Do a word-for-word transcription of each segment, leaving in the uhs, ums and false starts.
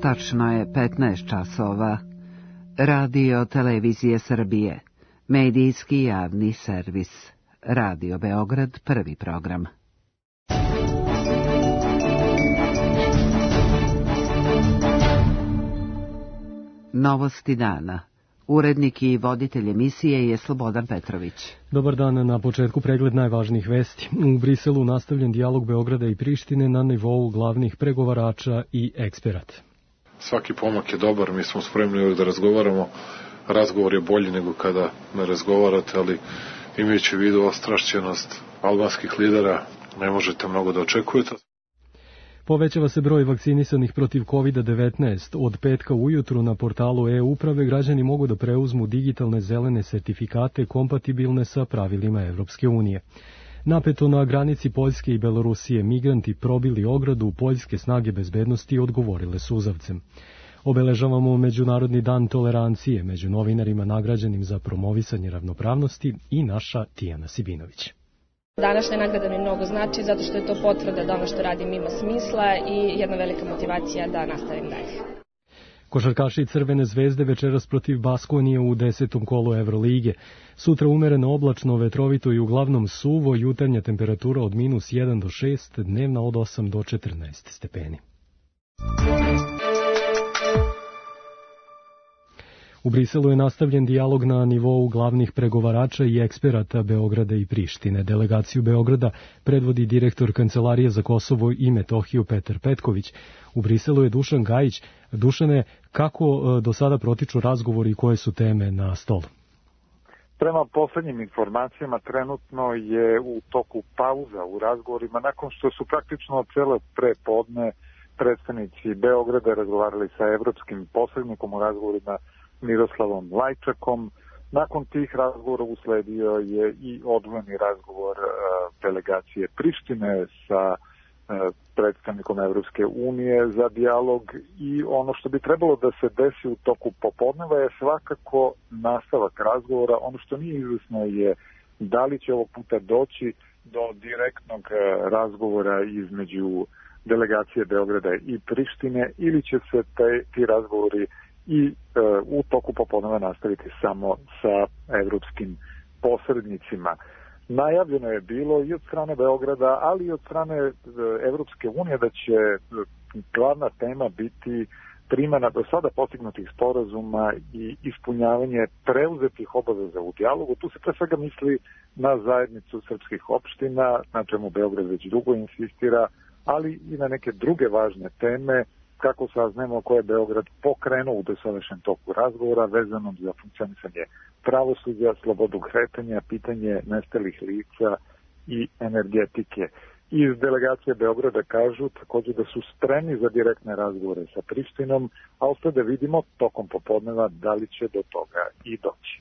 Tačno je petnaest časova. Radio Televizije Srbije. Medijski javni servis. Radio Beograd, prvi program. Novosti dana. Urednik i voditelj emisije je Slobodan Petrović. Dobar dan, na početku pregled najvažnijih vesti. U Briselu nastavljen dijalog Beograda i Prištine na nivou glavnih pregovarača i eksperata. Svaki pomak je dobar, mi smo spremni da razgovaramo. Razgovor je bolji nego kada ne razgovarate, ali imajući u vidu ostrašćenost albanskih lidera, ne možete mnogo da očekujete. Povećava se broj vakcinisanih protiv kovid devetnaest. Od petka ujutru na portalu e-uprave građani mogu da preuzmu digitalne zelene sertifikate kompatibilne sa pravilima Evropske unije. Napeto na granici Poljske i Belorusije, migranti probili ogradu, poljske snage bezbednosti odgovorile suzavcem. Obeležavamo Međunarodni dan tolerancije među novinarima nagrađenim za promovisanje ravnopravnosti i naša Tijana Sibinović. Današnja nagrada mi mnogo znači zato što je to potvrda da ono što radim ima smisla i jedna velika motivacija da nastavim dalje. Košarkaši Crvene zvezde večeras protiv Baskonije u desetom kolu Evrolige. Sutra umereno oblačno, vetrovito i uglavnom suvo, jutarnja temperatura od minus jedan do šest, dnevna od osam do četrnaest stepeni. U Briselu je nastavljen dijalog na nivou glavnih pregovarača i eksperata Beograda i Prištine. Delegaciju Beograda predvodi direktor Kancelarije za Kosovo i Metohiju Petar Petković. U Briselu je Dušan Gajić. Dušane, kako do sada protiču razgovori i koje su teme na stolu? Prema poslednjim informacijama, trenutno je u toku pauza u razgovorima, nakon što su praktično celo prepodne predstavnici Beograda razgovarali sa evropskim posrednikom u razgovorima Miroslavom Lajčakom. Nakon tih razgovora usledio je i odvojeni razgovor uh, delegacije Prištine sa uh, predstavnikom Evropske unije za dijalog i ono što bi trebalo da se desi u toku popodneva je svakako nastavak razgovora. Ono što nije izvesno je da li će ovog puta doći do direktnog uh, razgovora između delegacije Beograda i Prištine ili će se te, ti razgovori i e, u toku popodneva nastaviti samo sa evropskim posrednicima. Najavljeno je bilo i od strane Beograda, ali i od strane e, Evropske unije da će glavna tema biti primena do sada postignutih sporazuma i ispunjavanje preuzetih obaveza u dijalogu. Tu se pre svega misli na zajednicu srpskih opština, na čemu Beograd već dugo insistira, ali i na neke druge važne teme, kako saznemo koje je Beograd pokrenuo u dosadašnjem toku razgovora vezanom za funkcionisanje pravosuđa, slobodu kretanja, pitanje nestalih lica i energetike. Iz delegacije Beograda kažu također da su spremni za direktne razgovore sa Prištinom, a ostaje da vidimo tokom popodneva da li će do toga i doći.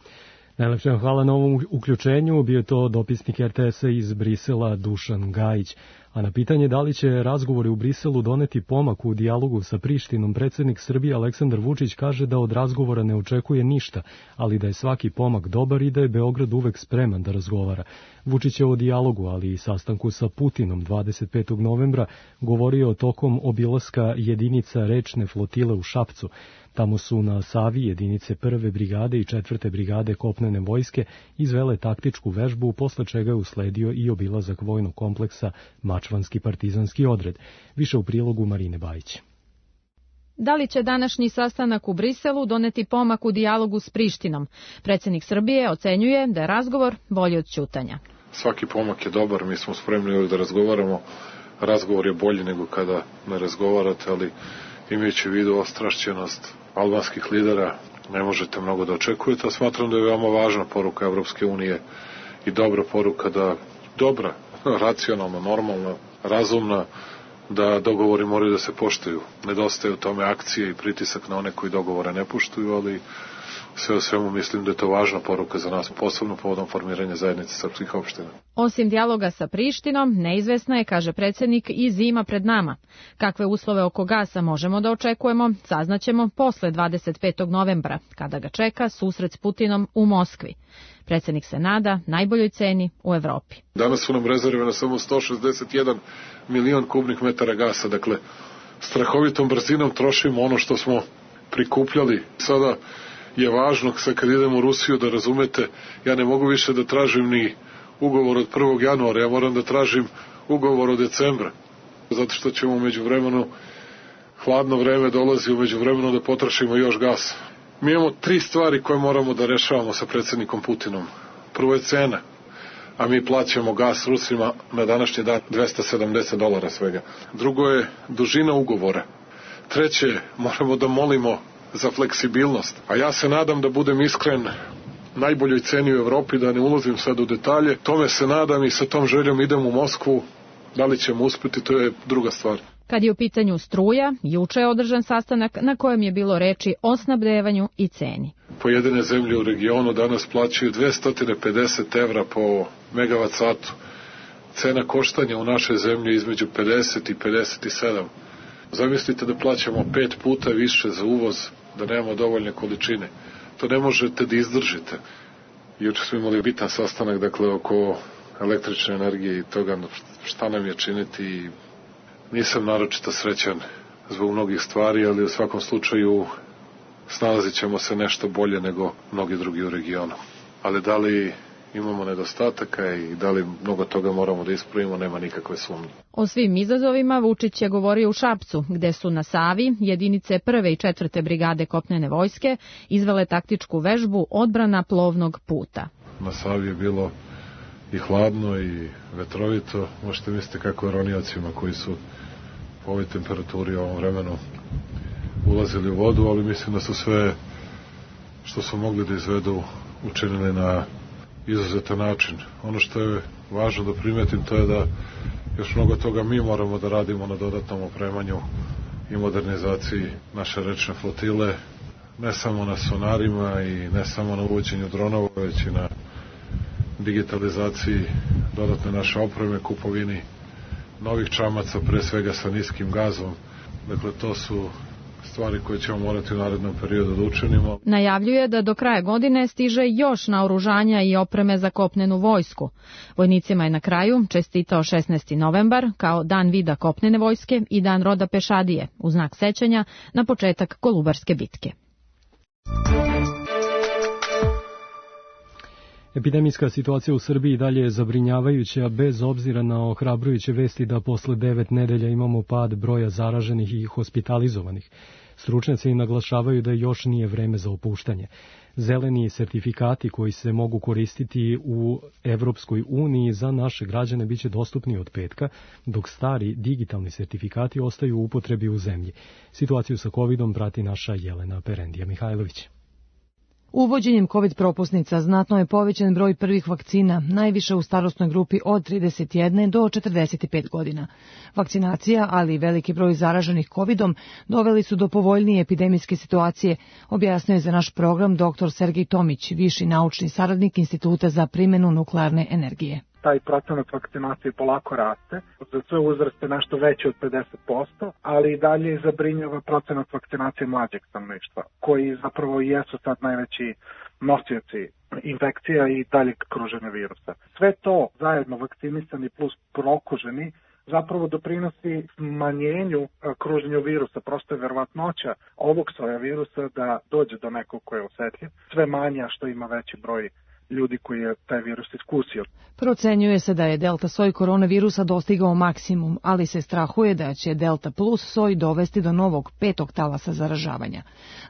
Najlepše hvala na ovom uključenju. Bio je to dopisnik er te esa iz Brisela Dušan Gajić. A na pitanje da li će razgovori u Briselu doneti pomak u dijalogu sa Prištinom, predsjednik Srbije Aleksandar Vučić kaže da od razgovora ne očekuje ništa, ali da je svaki pomak dobar i da je Beograd uvek spreman da razgovara. Vučić je o dijalogu, ali i sastanku sa Putinom dvadeset petog novembra govorio tokom obilaska jedinica rečne flotile u Šapcu. Tamo su na Savi jedinice prve brigade i četvrte brigade kopnene vojske izvele taktičku vežbu, posle čega je usledio i obilazak vojnog kompleksa Mačvanski partizanski odred. Više u prilogu Marine Bajić. Da li će današnji sastanak u Briselu doneti pomak u dijalogu s Prištinom? Predsjednik Srbije ocenjuje da je razgovor bolji od ćutanja. Svaki pomak je dobar, mi smo spremni da razgovaramo. Razgovor je bolji nego kada ne razgovarate, ali imajući u vidu ostrašćenost albanskih lidera, ne možete mnogo da očekujete, a smatram da je veoma važna poruka Evropske unije i dobra poruka da, dobra, racionalna, normalna, razumna, da dogovori moraju da se poštuju. Nedostaje u tome akcije i pritisak na one koji dogovore ne poštuju, ali sve o svemu mislim da je to važna poruka za nas, posebno povodom formiranja zajednice srpskih opština. Osim dijaloga sa Prištinom, neizvesna je, kaže predsjednik, i zima pred nama. Kakve uslove oko gasa možemo da očekujemo, saznaćemo posle dvadeset petog novembra, kada ga čeka susret s Putinom u Moskvi. Predsjednik se nada najboljoj ceni u Evropi. Danas su nam rezerve na samo sto šezdeset jedan milion kubnih metara gasa, dakle strahovitom brzinom trošimo ono što smo prikupljali. Sada je važno, sad kad idemo u Rusiju, da razumete, ja ne mogu više da tražim ni ugovor od prvog januara, ja moram da tražim ugovor od decembra, zato što ćemo u međuvremenu, hladno vreme dolazi, u međuvremenu da potrošimo još gas. Mi imamo tri stvari koje moramo da rešavamo sa predsjednikom Putinom. Prvo je cena, a mi plaćamo gas Rusima na današnji dan dvesta sedamdeset dolara svega. Drugo je dužina ugovora. Treće, moramo da molimo za fleksibilnost. A ja se nadam, da budem iskren, najboljoj ceni u Evropi, da ne ulazim sad u detalje. Tome se nadam i sa tom željom idem u Moskvu. Da li ćemo uspjeti, to je druga stvar. Kad je u pitanju struja, juče je održan sastanak na kojem je bilo reči o snabdevanju i ceni. Pojedine zemlje u regionu danas plaćaju dvesta pedeset evra po megavat satu. Cena koštanja u našoj zemlji između pedeset i pedeset sedam. Zamislite da plaćamo pet puta više za uvoz, da nemamo dovoljne količine. To ne možete da izdržite. Juče smo imali bitan sastanak, dakle, oko električne energije i toga šta nam je činiti. Nisam naročito srećan zbog mnogih stvari, ali u svakom slučaju snalazit ćemo se nešto bolje nego mnogi drugi u regionu. Ali da li imamo nedostataka i da li mnogo toga moramo da ispravimo, nema nikakve sumnje. O svim izazovima Vučić je govorio u Šapcu, gde su na Savi jedinice prve i četvrte brigade kopnene vojske izvele taktičku vežbu odbrana plovnog puta. Na Savi je bilo i hladno i vetrovito. Možete misliti kako je roniocima koji su po ovoj temperaturi u ovom vremenu ulazili u vodu, ali mislim da su sve što su mogli da izvedu učinili na izuzetan način. Ono što je važno da primetim, to je da još mnogo toga mi moramo da radimo na dodatnom opremanju i modernizaciji naše rečne flotile, ne samo na sonarima i ne samo na uvođenju dronova, već i na digitalizaciji dodatne naše opreme, kupovini novih čamaca, pre svega sa niskim gazom. Dakle, to su stvari koje ćemo morati u narednom periodu da učinimo. Najavljuje da do kraja godine stiže još naoružanja i opreme za kopnenu vojsku. Vojnicima je na kraju čestitao šesnaesti novembar kao dan vida kopnene vojske i dan roda pešadije, u znak sećanja na početak Kolubarske bitke. Epidemijska situacija u Srbiji dalje je zabrinjavajuća, bez obzira na ohrabrujuće vesti da posle devet nedelja imamo pad broja zaraženih i hospitalizovanih. Stručnjaci naglašavaju da još nije vreme za opuštanje. Zeleni sertifikati koji se mogu koristiti u Evropskoj uniji za naše građane biće dostupni od petka, dok stari digitalni sertifikati ostaju u upotrebi u zemlji. Situaciju sa kovidom prati naša Jelena Perendija Mihajlović. Uvođenjem COVID propusnica znatno je povećan broj prvih vakcina, najviše u starosnoj grupi od trideset jedne do četrdeset pet godina. Vakcinacija, ali i veliki broj zaraženih covidom, doveli su do povoljnije epidemijske situacije, objasnio je za naš program doktor Sergej Tomić, viši naučni saradnik Instituta za primjenu nuklearne energije. Taj procenat vakcinacije polako raste, za sve uzraste nešto veće od pedeset posto, ali i dalje zabrinjava procenat vakcinacije mlađeg stanovništva, koji zapravo jesu sad najveći nosioci infekcija i daljeg kruženja virusa. Sve to zajedno vakcinisani plus prokuženi zapravo doprinosi smanjenju kruženju virusa. Prosto je verovatnoća ovog soja virusa da dođe do nekog ko je osetljiv, sve manja što ima veći broj ljudi koji je taj virus iskusio. Procenjuje se da je delta soj koronavirusa dostigao maksimum, ali se strahuje da će delta plus soj dovesti do novog petog talasa zaražavanja.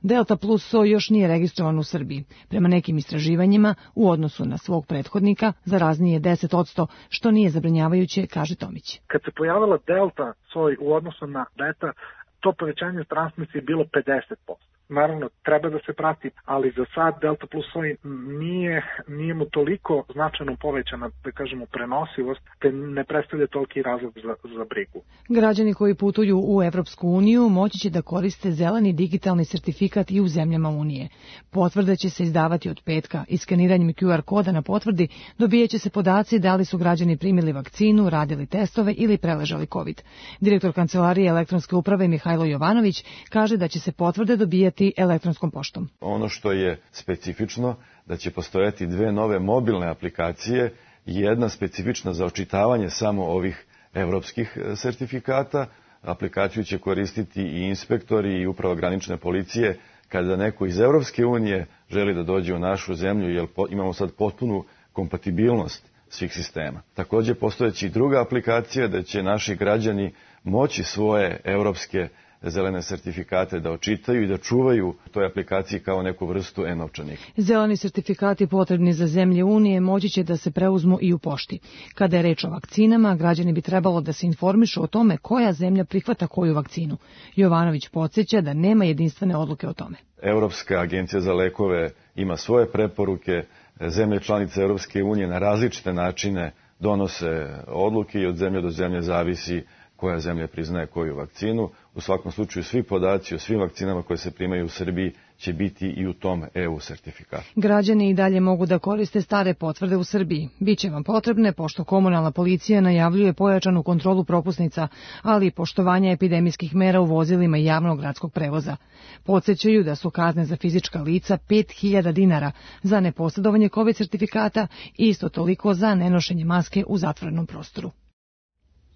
Delta plus soj još nije registrovan u Srbiji. Prema nekim istraživanjima, u odnosu na svog prethodnika, zarazniji je deset posto, što nije zabrinjavajuće, kaže Tomić. Kad se pojavila delta soj u odnosu na beta, to povećanje transmisije je bilo pedeset posto. Naravno, treba da se prati, ali za sad delta plus soj nije, nije mu toliko značajno povećana, da kažemo, prenosivost, te ne predstavlja toliki razlog za, za brigu. Građani koji putuju u Evropsku uniju moći će da koriste zeleni digitalni sertifikat i u zemljama Unije. Potvrde će se izdavati od petka. Iskaniranjem Q R koda na potvrdi dobijeće se podaci da li su građani primili vakcinu, radili testove ili preležali COVID. Direktor Kancelarije elektronske uprave Mihajlo Jovanović kaže da će se potvrde dobijati elektronskom poštom. Ono što je specifično, da će postojati dve nove mobilne aplikacije i jedna specifična za očitavanje samo ovih evropskih sertifikata, aplikaciju će koristiti i inspektori i upravo granične policije kada neko iz Evropske unije želi da dođe u našu zemlju, jer imamo sad potpunu kompatibilnost svih sistema. Takođe postojeći i druga aplikacija da će naši građani moći svoje evropske zelene sertifikate da očitaju i da čuvaju u toj aplikaciji kao neku vrstu e-novčanika. Zeleni sertifikati potrebni za zemlje Unije moći će da se preuzmu i u pošti. Kada je reč o vakcinama, građani bi trebalo da se informišu o tome koja zemlja prihvata koju vakcinu. Jovanović podsjeća da nema jedinstvene odluke o tome. Evropska agencija za lekove ima svoje preporuke, zemlje članice Evropske unije na različite načine donose odluke i od zemlje do zemlje zavisi koja zemlja priznaje koju vakcinu. U svakom slučaju svi podaci o svim vakcinama koje se primaju u Srbiji će biti i u tom E U sertifikatu. Građani i dalje mogu da koriste stare potvrde u Srbiji. Biće vam potrebne pošto komunalna policija najavljuje pojačanu kontrolu propusnica, ali i poštovanje epidemijskih mera u vozilima javnog gradskog prevoza. Podsjećaju da su kazne za fizička lica pet hiljada dinara za neposjedovanje COVID sertifikata i isto toliko za nenošenje maske u zatvorenom prostoru.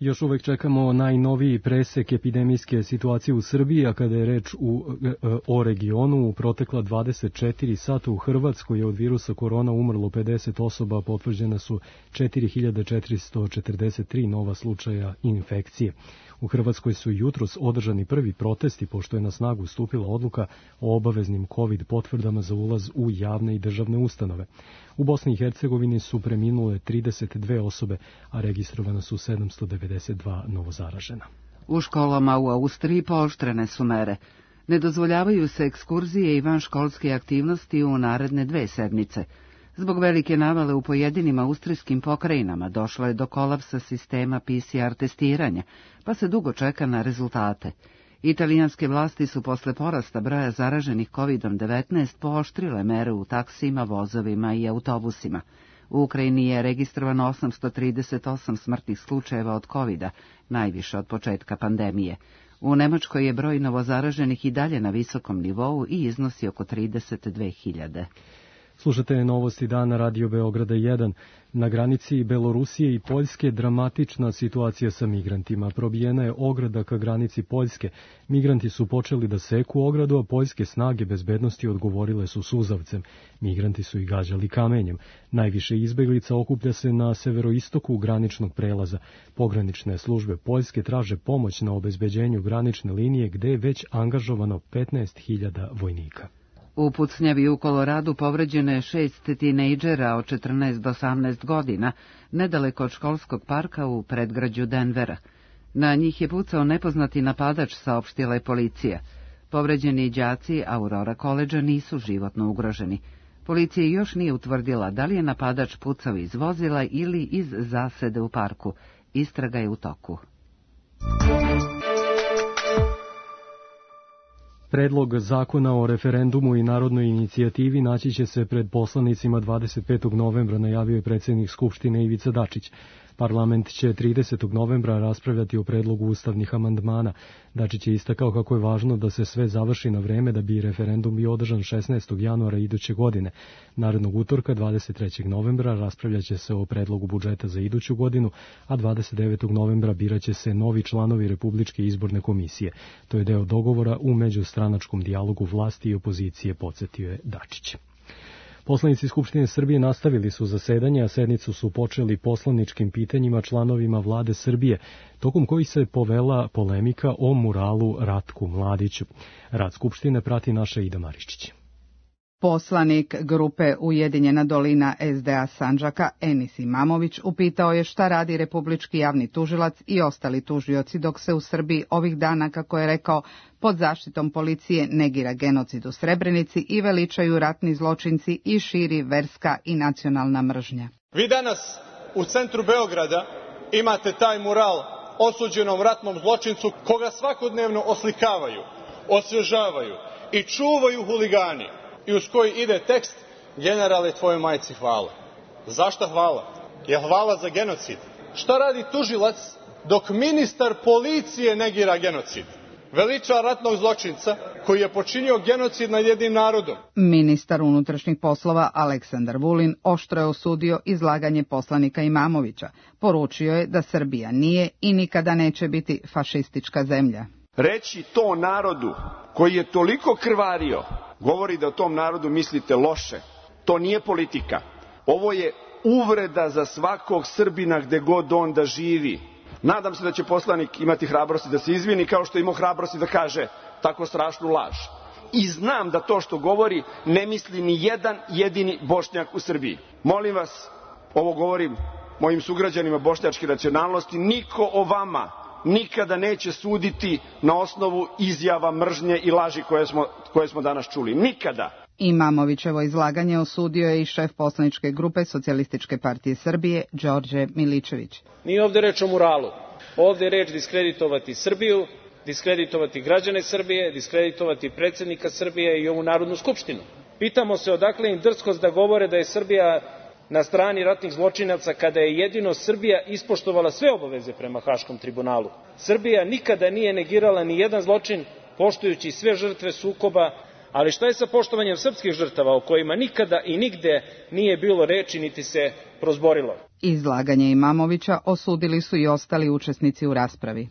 Još uvek čekamo najnoviji presek epidemijske situacije u Srbiji, a kada je reč u, o regionu, u protekla dvadeset četiri sata u Hrvatskoj je od virusa korona umrlo pedeset osoba, potvrđena su četiri hiljade četiristo četrdeset tri nova slučaja infekcije. U Hrvatskoj su jutros održani prvi protesti, pošto je na snagu stupila odluka o obaveznim COVID potvrdama za ulaz u javne i državne ustanove. U Bosni i Hercegovini su preminule trideset dve osobe, a registrovana su sedamsto devedeset dva novozaražena. U školama u Austriji pooštrene su mere. Ne dozvoljavaju se ekskurzije i vanškolske aktivnosti u naredne dve sedmice. Zbog velike navale u pojedinim austrijskim pokrajinama došlo je do kolapsa sistema P C R testiranja, pa se dugo čeka na rezultate. Italijanske vlasti su posle porasta broja zaraženih kovid devetnaest pooštrile mere u taksima, vozovima i autobusima. U Ukrajini je registrovano osamsto trideset osam smrtnih slučajeva od kovida, najviše od početka pandemije. U Nemačkoj je broj novozaraženih i dalje na visokom nivou i iznosi oko trideset dve hiljade. Slušate novosti dana Radio Beograda jedan. Na granici Belorusije i Poljske dramatična situacija sa migrantima. Probijena je ograda ka granici Poljske. Migranti su počeli da seku ogradu, a poljske snage bezbednosti odgovorile su suzavcem. Migranti su i gađali kamenjem. Najviše izbeglica okuplja se na severoistoku graničnog prelaza. Pogranične službe Poljske traže pomoć na obezbeđenju granične linije gde je već angažovano petnaest hiljada vojnika. U pucnjavi u Koloradu povređeno je šest tinejdžera od četrnaest do osamnaest godina, nedaleko od školskog parka u predgrađu Denvera. Na njih je pucao nepoznati napadač, saopštila je policija. Povređeni đaci Aurora Koledža nisu životno ugroženi. Policija još nije utvrdila da li je napadač pucao iz vozila ili iz zasede u parku. Istraga je u toku. Predlog zakona o referendumu i narodnoj inicijativi naći će se pred poslanicima dvadeset petog novembra, najavio je predsjednik Skupštine Ivica Dačić. Parlament će tridesetog novembra raspravljati o predlogu ustavnih amandmana. Dačić je istakao kako je važno da se sve završi na vreme da bi referendum bio održan šesnaestog januara iduće godine. Narednog utorka, dvadeset trećeg novembra, raspravljaće se o predlogu budžeta za iduću godinu, a dvadeset devetog novembra biraće se novi članovi Republičke izborne komisije. To je deo dogovora u međustranačkom dijalogu vlasti i opozicije, podsjetio je Dačić. Poslanici Skupštine Srbije nastavili su zasedanje, a sednicu su počeli poslaničkim pitanjima članovima vlade Srbije, tokom kojih se povela polemika o muralu Ratku Mladiću. Rad Skupštine prati naša Ida Mariščić. Poslanik grupe Ujedinjena dolina S D A Sandžaka Enis Imamović upitao je šta radi Republički javni tužilac i ostali tužioci dok se u Srbiji ovih dana, kako je rekao, pod zaštitom policije negira genocid u Srebrenici i veličaju ratni zločinci i širi verska i nacionalna mržnja. Vi danas u centru Beograda imate taj mural osuđenom ratnom zločincu koga svakodnevno oslikavaju, osvežavaju i čuvaju huligani. I uz koji ide tekst: generale, tvojoj majci hvala. Zašta hvala? Je hvala za genocid? Šta radi tužilac dok ministar policije negira genocid? veliča ratnog zločinca koji je počinio genocid nad jednim narodom. Ministar unutrašnjih poslova Aleksandar Vulin oštro je osudio izlaganje poslanika Imamovića. Poručio je da Srbija nije i nikada neće biti fašistička zemlja. Reći to narodu koji je toliko krvario, govori da o tom narodu mislite loše. To nije politika. Ovo je uvreda za svakog Srbina gde god on da živi. Nadam se da će poslanik imati hrabrosti da se izvini kao što je imao hrabrosti da kaže tako strašnu laž. I znam da to što govori ne misli ni jedan jedini Bošnjak u Srbiji. Molim vas, ovo govorim mojim sugrađanima bošnjačke nacionalnosti, niko o vama nikada neće suditi na osnovu izjava mržnje i laži koje smo, koje smo danas čuli. Nikada. Imamovićevo izlaganje osudio je i šef poslaničke grupe Socijalističke partije Srbije, Đorđe Miličević. Nije ovde reč o muralu. Ovde je reč diskreditovati Srbiju, diskreditovati građane Srbije, diskreditovati predsjednika Srbije i ovu Narodnu skupštinu. Pitamo se odakle im drskost da govore da je Srbija na strani ratnih zločinaca kada je jedino Srbija ispoštovala sve obaveze prema Haškom tribunalu. Srbija nikada nije negirala ni jedan zločin, poštujući sve žrtve sukoba, ali šta je sa poštovanjem srpskih žrtava o kojima nikada i nigde nije bilo reči niti se prozborilo? Izlaganje Imamovića osudili su i ostali učesnici u raspravi.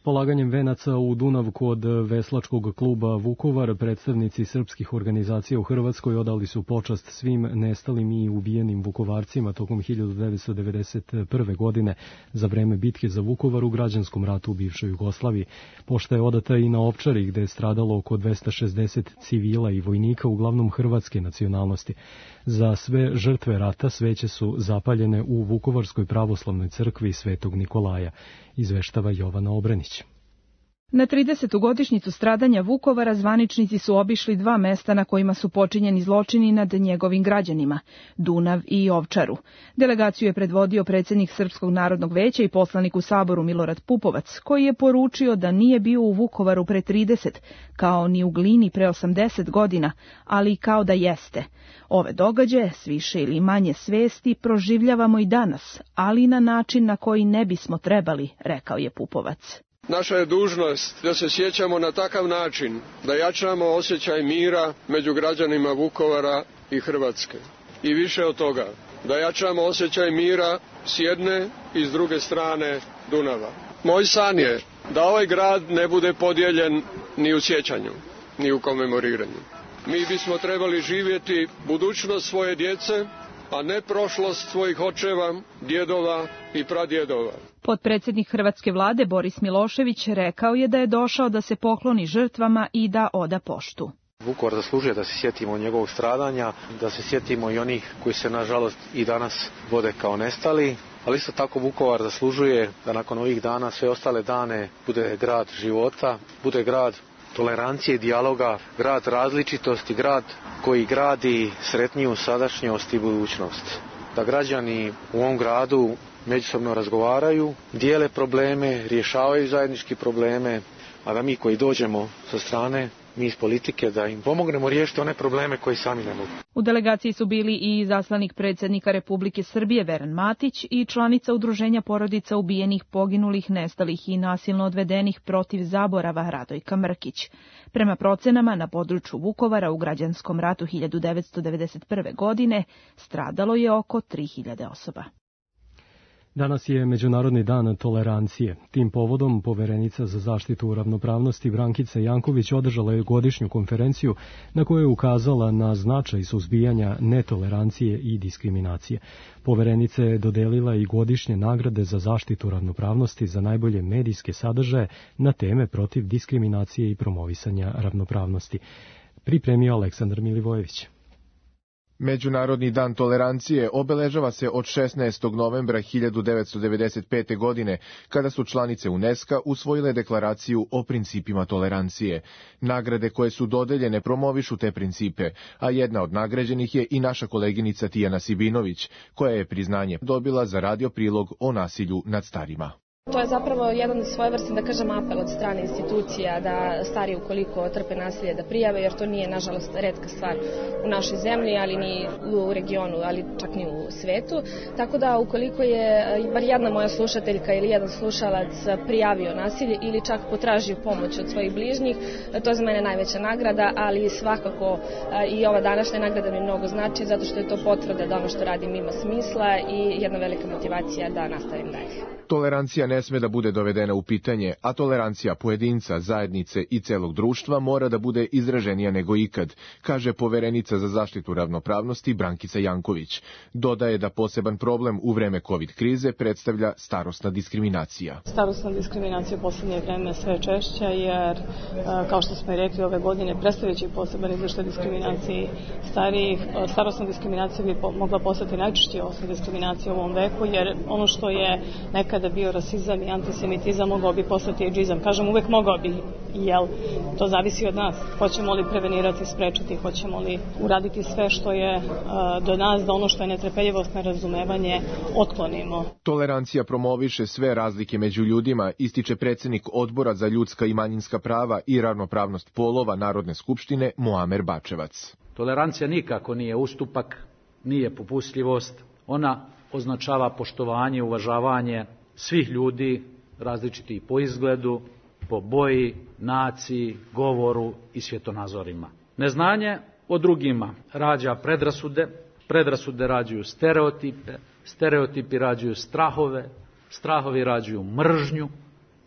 Polaganjem venaca u Dunav kod veslačkog kluba Vukovar predstavnici srpskih organizacija u Hrvatskoj odali su počast svim nestalim i ubijenim Vukovarcima tokom hiljadu devetsto devedeset prve. godine za vreme bitke za Vukovar u građanskom ratu u bivšoj Jugoslaviji. Pošta je odata i na Ovčari gde je stradalo oko dvesta šezdeset civila i vojnika, uglavnom hrvatske nacionalnosti. Za sve žrtve rata sveće su zapaljene u Vukovarskoj pravoslavnoj crkvi Svetog Nikolaja, izveštava Jovana Obrenić. Na tridesetu godišnjicu stradanja Vukovara zvaničnici su obišli dva mesta na kojima su počinjeni zločini nad njegovim građanima, Dunav i Ovčaru. Delegaciju je predvodio predsjednik Srpskog narodnog veća i poslanik u Saboru Milorad Pupovac, koji je poručio da nije bio u Vukovaru pre trideset, kao ni u Glini pre osamdeset godina, ali kao da jeste. Ove događaje, s više ili manje svesti, proživljavamo i danas, ali na način na koji ne bismo trebali, rekao je Pupovac. Naša je dužnost da se sjećamo na takav način, da jačamo osjećaj mira među građanima Vukovara i Hrvatske. I više od toga, da jačamo osjećaj mira s jedne i s druge strane Dunava. Moj san je da ovaj grad ne bude podijeljen ni u sjećanju, ni u komemoriranju. Mi bismo trebali živjeti budućnost svoje djece, a ne prošlost svojih očeva, djedova i pradjedova. Potpredsjednik hrvatske vlade Boris Milošević rekao je da je došao da se pokloni žrtvama i da oda poštu. Vukovar zaslužuje da se sjetimo njegovog stradanja, da se sjetimo i onih koji se nažalost i danas vode kao nestali, ali isto tako Vukovar zaslužuje da nakon ovih dana sve ostale dane bude grad života, bude grad tolerancije i dijaloga, grad različitosti, grad koji gradi sretniju sadašnjost i budućnost. Da građani u ovom gradu međusobno razgovaraju, dijele probleme, rješavaju zajednički probleme, a da mi koji dođemo sa strane, mi iz politike, da im pomognemo riješiti one probleme koji sami ne mogu. U delegaciji su bili i izaslanik predsjednika Republike Srbije Veran Matić i članica udruženja porodica ubijenih, poginulih, nestalih i nasilno odvedenih protiv zaborava Radojka Mrkić. Prema procenama, na području Vukovara u građanskom ratu hiljadu devetsto devedeset prve. godine stradalo je oko tri hiljade osoba. Danas je Međunarodni dan tolerancije. Tim povodom poverenica za zaštitu ravnopravnosti Brankica Janković održala je godišnju konferenciju na kojoj je ukazala na značaj suzbijanja netolerancije i diskriminacije. Poverenica je dodelila i godišnje nagrade za zaštitu ravnopravnosti za najbolje medijske sadržaje na teme protiv diskriminacije i promovisanja ravnopravnosti. Pripremio Aleksandar Milivojević. Međunarodni dan tolerancije obeležava se od šesnaestog novembra hiljadu devetsto devedeset pete. godine, kada su članice UNESCO usvojile deklaraciju o principima tolerancije. Nagrade koje su dodeljene promovišu te principe, a jedna od nagrađenih je i naša koleginica Tijana Sibinović, koja je priznanje dobila za radio prilog o nasilju nad starima. To je zapravo jedan svojevrstan, da kažem, apel od strane institucija da stari ukoliko trpe nasilje da prijave, jer to nije, nažalost, retka stvar u našoj zemlji, ali ni u regionu, ali čak ni u svetu. Tako da ukoliko je bar jedna moja slušateljka ili jedan slušalac prijavio nasilje ili čak potražio pomoć od svojih bližnjih, to je za mene najveća nagrada, ali svakako i ova današnja nagrada mi mnogo znači, zato što je to potvrda da ono što radim ima smisla i jedna velika motivacija da nastavim dalje. Tolerancija ne sme da bude dovedena u pitanje, a tolerancija pojedinca, zajednice i celog društva mora da bude izraženija nego ikad, kaže poverenica za zaštitu ravnopravnosti Brankica Janković. Dodaje da poseban problem u vreme COVID krize predstavlja starosna diskriminacija. Starosna diskriminacija u poslednje vreme sve češća, jer, kao što smo i rekli, ove godine predstavljajući poseban izveštaj diskriminaciji starijih, starosna diskriminacija bi mogla postati najčešće osnova diskriminacije u ovom veku, jer ono što je nekad da bio rasizam i antisemitizam mogao bi postati ejdžizam. Kažem, uvek mogao bi, jel, to zavisi od nas. Hoćemo li prevenirati, sprečiti, hoćemo li uraditi sve što je uh, do nas, da ono što je netrpeljivost, nerazumevanje, otklonimo. Tolerancija promoviše sve razlike među ljudima, ističe predsednik Odbora za ljudska i manjinska prava i ravnopravnost polova Narodne skupštine Muamer Bačevac. Tolerancija nikako nije ustupak, nije popustljivost, ona označava poštovanje, uvažavanje svih ljudi, različiti po izgledu, po boji, naciji, govoru i svjetonazorima. Neznanje o drugima rađa predrasude, predrasude rađuju stereotipe, stereotipi rađuju strahove, strahovi rađuju mržnju,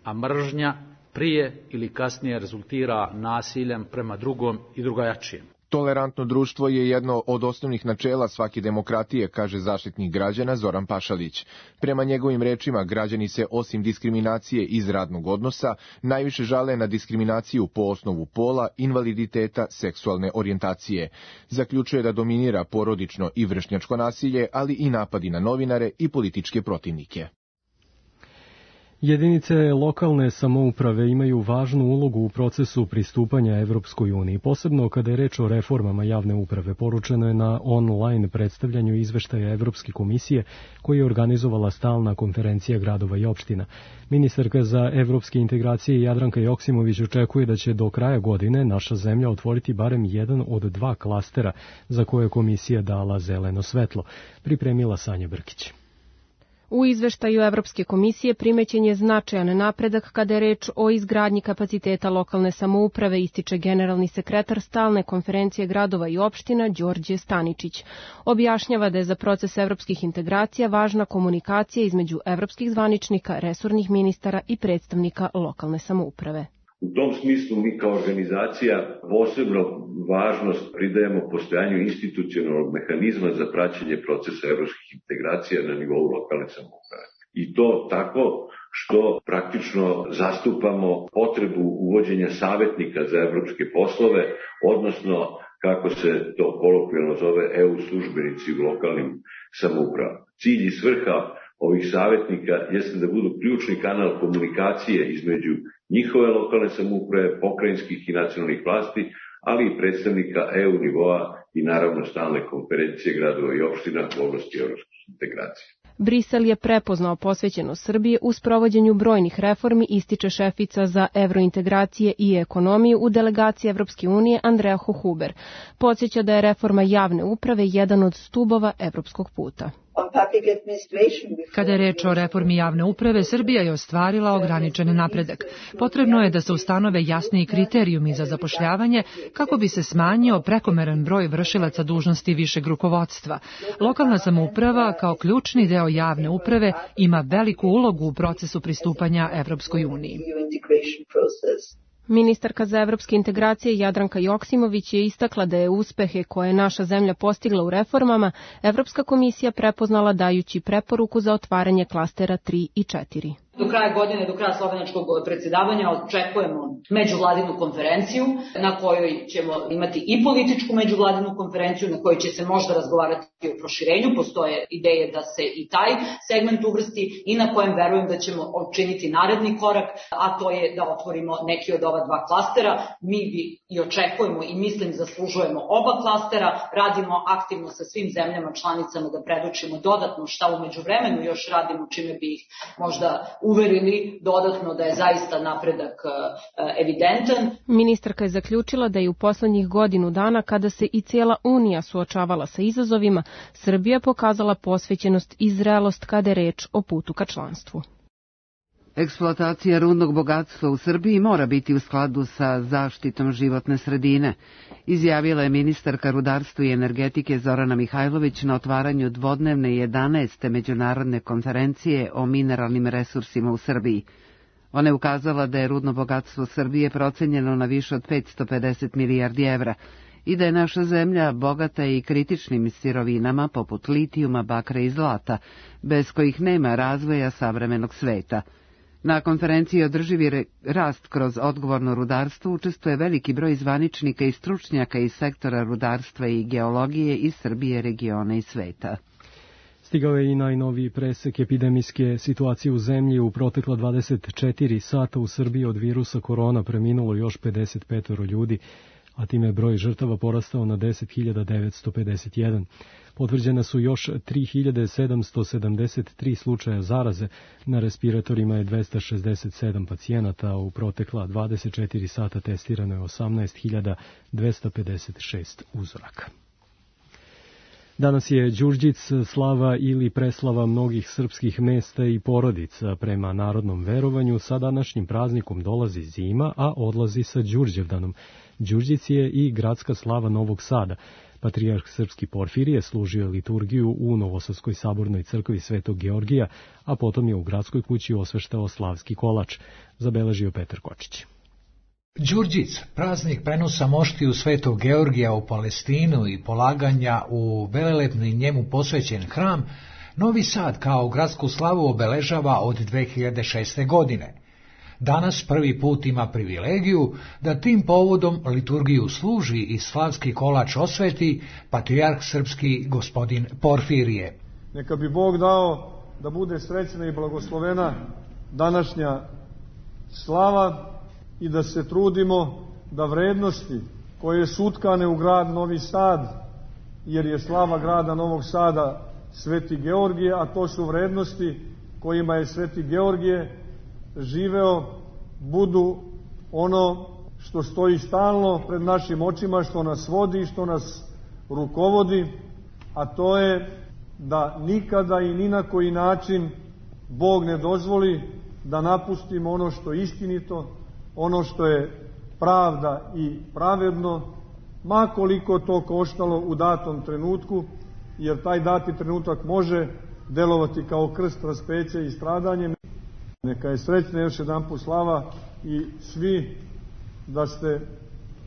a mržnja prije ili kasnije rezultira nasiljem prema drugom i drugačijem. Tolerantno društvo je jedno od osnovnih načela svake demokratije, kaže zaštitnik građana Zoran Pašalić. Prema njegovim rečima, građani se osim diskriminacije iz radnog odnosa najviše žale na diskriminaciju po osnovu pola, invaliditeta, seksualne orijentacije. Zaključuje da dominira porodično i vršnjačko nasilje, ali i napadi na novinare i političke protivnike. Jedinice lokalne samouprave imaju važnu ulogu u procesu pristupanja Evropskoj uniji, posebno kada je reč o reformama javne uprave. Poručeno je na online predstavljanju izveštaja Evropske komisije koji je organizovala stalna konferencija gradova i opština. Ministarka za evropske integracije Jadranka Joksimović očekuje da će do kraja godine naša zemlja otvoriti barem jedan od dva klastera za koje je komisija dala zeleno svetlo. Pripremila Sanja Brkić. U izveštaju Evropske komisije primećen je značajan napredak kada je reč o izgradnji kapaciteta lokalne samouprave, ističe generalni sekretar stalne konferencije gradova i opština Đorđe Staničić. Objašnjava da je za proces evropskih integracija važna komunikacija između evropskih zvaničnika, resornih ministara i predstavnika lokalne samouprave. U tom smislu mi kao organizacija posebno važnost pridajemo postojanju institucionalnog mehanizma za praćenje procesa evropskih integracija na nivou lokalne samouprave. I to tako što praktično zastupamo potrebu uvođenja savjetnika za evropske poslove, odnosno kako se to kolokvijalno zove E U službenici u lokalnim samoupravama. Cilj i svrha ovih savjetnika jeste da budu ključni kanal komunikacije između njihove lokalne samouprave, pokrajinskih i nacionalnih vlasti, ali i predstavnika E U nivoa i naravno stalne konferencije gradova i opština u oblasti evropskih integracija. Brisel je prepoznao posvećenost Srbije u sprovođenju brojnih reformi, ističe šefica za evrointegracije i ekonomiju u delegaciji Evropske unije Andrea Hohuber. Podsjeća da je reforma javne uprave jedan od stubova evropskog puta. Kada je reč o reformi javne uprave, Srbija je ostvarila ograničen napredak. Potrebno je da se ustanove jasniji kriterijumi za zapošljavanje kako bi se smanjio prekomeran broj vršilaca dužnosti višeg rukovodstva. Lokalna samouprava kao ključni deo javne uprave ima veliku ulogu u procesu pristupanja Evropskoj uniji. Ministarka za evropske integracije Jadranka Joksimović je istakla da je uspehe koje je naša zemlja postigla u reformama Evropska komisija prepoznala dajući preporuku za otvaranje klastera tri i četiri. Do kraja godine, do kraja slovenačkog predsjedavanja očekujemo međuvladinu konferenciju na kojoj ćemo imati i političku međuvladinu konferenciju na kojoj će se možda razgovarati o proširenju. Postoje ideje da se i taj segment uvrsti i na kojem verujem da ćemo učiniti naredni korak, a to je da otvorimo neki od ova dva klastera. Mi bi i očekujemo i mislim zaslužujemo oba klastera, radimo aktivno sa svim zemljama članicama da predočimo dodatno šta u međuvremenu još radimo, čime bi ih možda uverili dodatno da je zaista napredak evidentan. Ministarka je zaključila da je u poslednjih godinu dana, kada se i cijela Unija suočavala sa izazovima, Srbija pokazala posvećenost i zrelost kada je reč o putu ka članstvu. Eksploatacija rudnog bogatstva u Srbiji mora biti u skladu sa zaštitom životne sredine, izjavila je ministarka rudarstva i energetike Zorana Mihajlović na otvaranju dvodnevne jedanaeste međunarodne konferencije o mineralnim resursima u Srbiji. Ona je ukazala da je rudno bogatstvo Srbije procenjeno na više od petsto pedeset milijardi evra i da je naša zemlja bogata i kritičnim sirovinama poput litijuma, bakra i zlata, bez kojih nema razvoja savremenog sveta. Na konferenciji Održivi rast kroz odgovorno rudarstvo učestvuje veliki broj zvaničnika i stručnjaka iz sektora rudarstva i geologije iz Srbije, regiona i sveta. Stigao je i najnoviji presek epidemijske situacije u zemlji. U protekla dvadeset četiri sata u Srbiji od virusa korona preminulo još pedeset pet ljudi, a time je broj žrtava porastao na deset hiljada devetsto pedeset jedan. Potvrđene su još tri hiljade sedamsto sedamdeset tri slučaja zaraze, na respiratorima je dvesta šezdeset sedam pacijenata, a u protekla dvadeset četiri sata testirano je osamnaest hiljada dvesta pedeset šest uzoraka. Danas je Đurđic, slava ili preslava mnogih srpskih mesta i porodica. Prema narodnom verovanju, sa današnjim praznikom dolazi zima, a odlazi sa Đurđevdanom. Đurđic je i gradska slava Novog Sada. Patrijarh srpski Porfirije služio liturgiju u Novosadskoj sabornoj crkvi Svetog Georgija, a potom je u gradskoj kući osveštao slavski kolač, zabeležio Petar Kočić. Đurđic, praznik prenosa moštiju Svetog Georgija u Palestinu i polaganja u velelepni njemu posvećen hram, Novi Sad kao gradsku slavu obeležava od dve hiljade šeste. godine. Danas prvi put ima privilegiju da tim povodom liturgiju služi i slavski kolač osveti patrijarh srpski gospodin Porfirije. Neka bi Bog dao da bude srećna i blagoslovena današnja slava i da se trudimo da vrednosti koje su utkane u grad Novi Sad, jer je slava grada Novog Sada Sveti Georgije, a to su vrednosti kojima je Sveti Georgije živeo, budu ono što stoji stalno pred našim očima, što nas vodi, što nas rukovodi, a to je da nikada i ni na koji način Bog ne dozvoli da napustimo ono što je istinito, ono što je pravda i pravedno, ma koliko to koštalo u datom trenutku, jer taj dati trenutak može delovati kao krst raspeća i stradanje. Neka je srećna još jedan put slava i svi da ste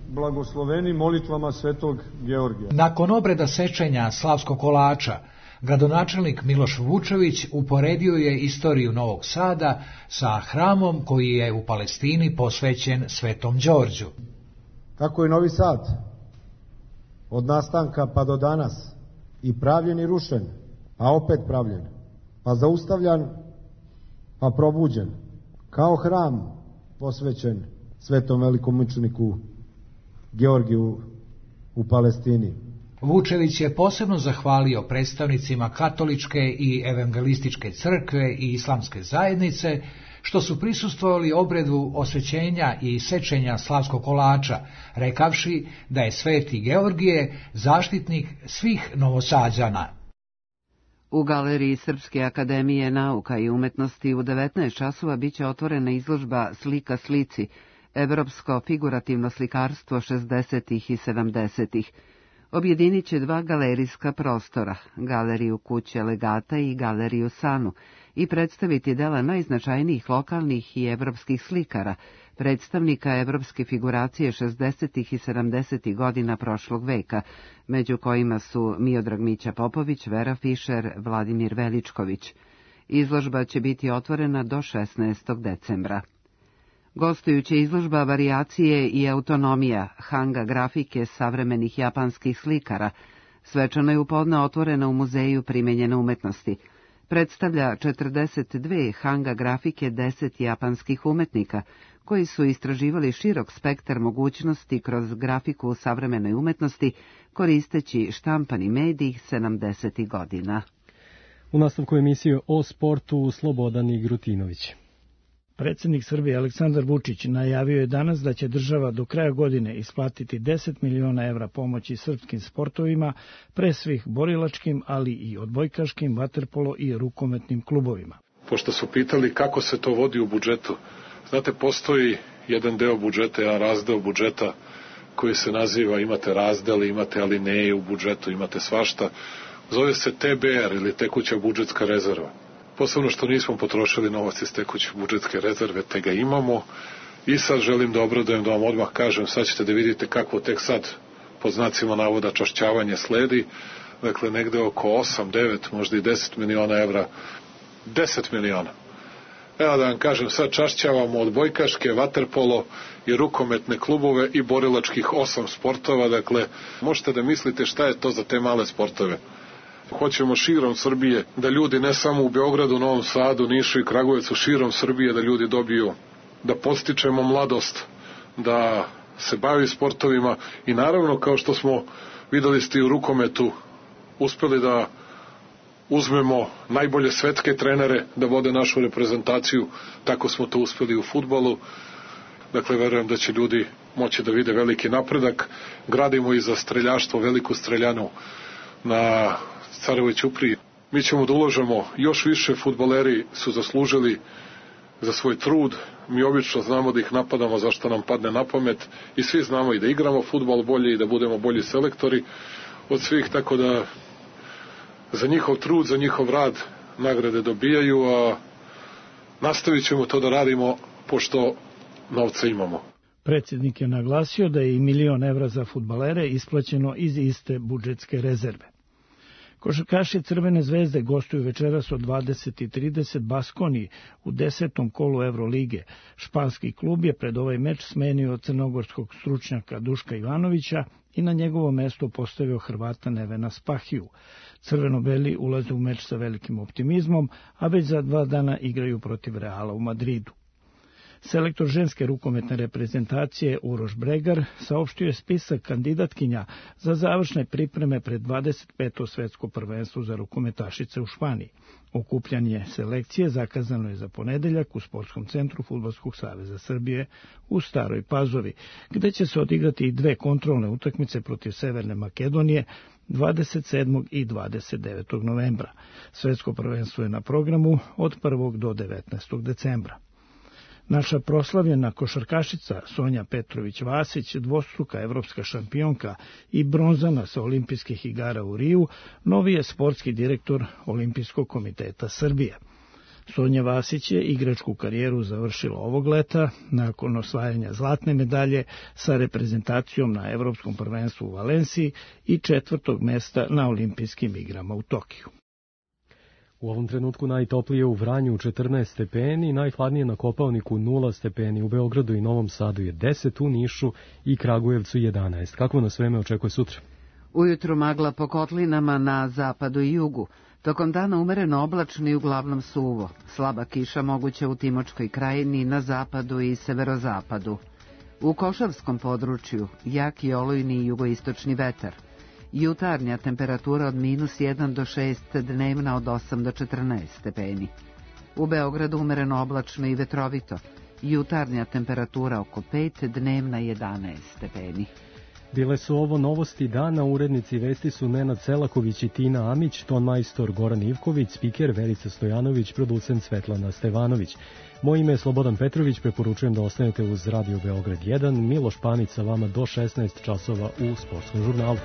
blagosloveni molitvama Svetog Georgija. Nakon obreda sečenja slavskog kolača, gradonačelnik Miloš Vučević uporedio je istoriju Novog Sada sa hramom koji je u Palestini posvećen Svetom Đorđu. Kako je Novi Sad od nastanka pa do danas i pravljen i rušen, a opet pravljen, pa zaustavljan, pa probuđen, kao hram posvećen Svetom velikomučeniku Georgiju u Palestini. Vučević je posebno zahvalio predstavnicima katoličke i evangelističke crkve i islamske zajednice što su prisustvovali obredu osvećenja i sečenja slavskog kolača, rekavši da je Sveti Georgije zaštitnik svih Novosađana. U galeriji Srpske akademije nauka i umetnosti u devetnaest časova biće otvorena izložba Slika slici, evropsko figurativno slikarstvo šezdesetih i sedamdesetih. Objedinit će dva galerijska prostora, galeriju Kuće legata i galeriju Sanu, i predstaviti dela najznačajnijih lokalnih i evropskih slikara, predstavnika evropske figuracije šezdesetih i sedamdesetih godina prošlog veka, među kojima su Miodrag Mića Popović, Vera Fišer, Vladimir Veličković. Izložba će biti otvorena do šesnaestog decembra. Gostujuća izložba Varijacije i autonomija, hanga grafike savremenih japanskih slikara, svečano je upodne otvorena u Muzeju primenjene umetnosti. Predstavlja četrdeset dve hanga grafike deset japanskih umetnika, koji su istraživali širok spektar mogućnosti kroz grafiku u savremenoj umetnosti, koristeći štampani medij sedamdesetih godina. U nastavku emisije o sportu Slobodan Igrutinović. Predsjednik Srbije Aleksandar Vučić najavio je danas da će država do kraja godine isplatiti deset miliona evra pomoći srpskim sportovima, pre svih borilačkim, ali i odbojkaškim, vaterpolo i rukometnim klubovima. Pošto su pitali kako se to vodi u budžetu, znate, postoji jedan deo budžeta, jedan razdeo budžeta koji se naziva, imate razdele, imate alineje u budžetu, imate svašta, zove se T B R ili tekuća budžetska rezerva. Posebno što nismo potrošili novac iz tekuće budžetske rezerve, te ga imamo i sad želim da obradujem, da vam odmah kažem, sad ćete da vidite kako tek sad, pod znacima navoda, čašćavanje sledi, dakle negde oko osam, devet, možda i deset miliona evra, deset miliona. Evo da vam kažem, sad čašćavamo odbojkaške, vaterpolo i rukometne klubove i borilačkih osam sportova, dakle možete da mislite šta je to za te male sportove. Hoćemo širom Srbije da ljudi, ne samo u Beogradu, Novom Sadu, Nišu i Kragujevcu, širom Srbije da ljudi dobiju, da podstičemo mladost, da se bavi sportovima i naravno, kao što smo videli ste i u rukometu, uspeli da uzmemo najbolje svetske trenere da vode našu reprezentaciju, tako smo to uspeli u fudbalu. Dakle, verujem da će ljudi moći da vide veliki napredak. Gradimo i za streljaštvo veliku streljanu na Carevoj ćupriji. Mi ćemo da ulažemo još više, fudbaleri su zaslužili za svoj trud. Mi obično znamo da ih napadamo zašto nam padne na pamet i svi znamo i da igramo fudbal bolje i da budemo bolji selektori od svih, tako da za njihov trud, za njihov rad nagrade dobijaju, a nastavit ćemo to da radimo pošto novca imamo. Predsjednik je naglasio da je i milion evra za fudbalere isplaćeno iz iste budžetske rezerve. Košarkaši Crvene zvezde gostuju večeras od dvadeset i trideset Baskoni u desetom kolu Evrolige. Španski klub je pred ovaj meč smenio crnogorskog stručnjaka Duška Ivanovića i na njegovo mesto postavio Hrvata Nevena Spahiju. Crveno-beli ulaze u meč sa velikim optimizmom, a već za dva dana igraju protiv Reala u Madridu. Selektor ženske rukometne reprezentacije Uroš Bregar saopštio je spisak kandidatkinja za završne pripreme pred dvadeset peto svetsko prvenstvo za rukometašice u Španiji. Okupljanje selekcije zakazano je za ponedeljak u Sportskom centru Fudbalskog saveza Srbije u Staroj Pazovi, gde će se odigrati i dve kontrolne utakmice protiv Severne Makedonije dvadeset sedmog i dvadeset devetog novembra. Svetsko prvenstvo je na programu od prvog do devetnaestog decembra. Naša proslavljena košarkašica Sonja Petrović-Vasić, dvostruka evropska šampionka i bronzana sa olimpijskih igara u Riju, novi je sportski direktor Olimpijskog komiteta Srbije. Sonja Vasić je igračku karijeru završila ovog leta nakon osvajanja zlatne medalje sa reprezentacijom na Evropskom prvenstvu u Valenciji i četvrtog mesta na olimpijskim igrama u Tokiju. U ovom trenutku najtoplije u Vranju četrnaest stepeni, najhladnije na Kopaoniku nula stepeni, u Beogradu i Novom Sadu je deset, u Nišu i Kragujevcu jedanaest. Kako nas vreme očekuje sutra? Ujutru magla po kotlinama na zapadu i jugu. Tokom dana umereno oblačno i uglavnom suvo. Slaba kiša moguća u Timočkoj krajini, na zapadu i severozapadu. U Košavskom području jak i olujni jugoistočni vetar. Jutarnja temperatura od minus jedan do šest, dnevna od osam do četrnaest stepeni. U Beogradu umereno oblačno i vetrovito. Jutarnja temperatura oko pet, dnevna jedanaest stepeni. Bile su ovo novosti dana, urednici vesti su Nenad Selaković i Tina Amić, ton majstor Goran Ivković, spiker Verica Stojanović, producent Svetlana Stevanović. Moje ime je Slobodan Petrović, preporučujem da ostanete uz Radio Beograd jedan, Miloš Panić sa vama do šesnaest časova u Sportskom žurnalu.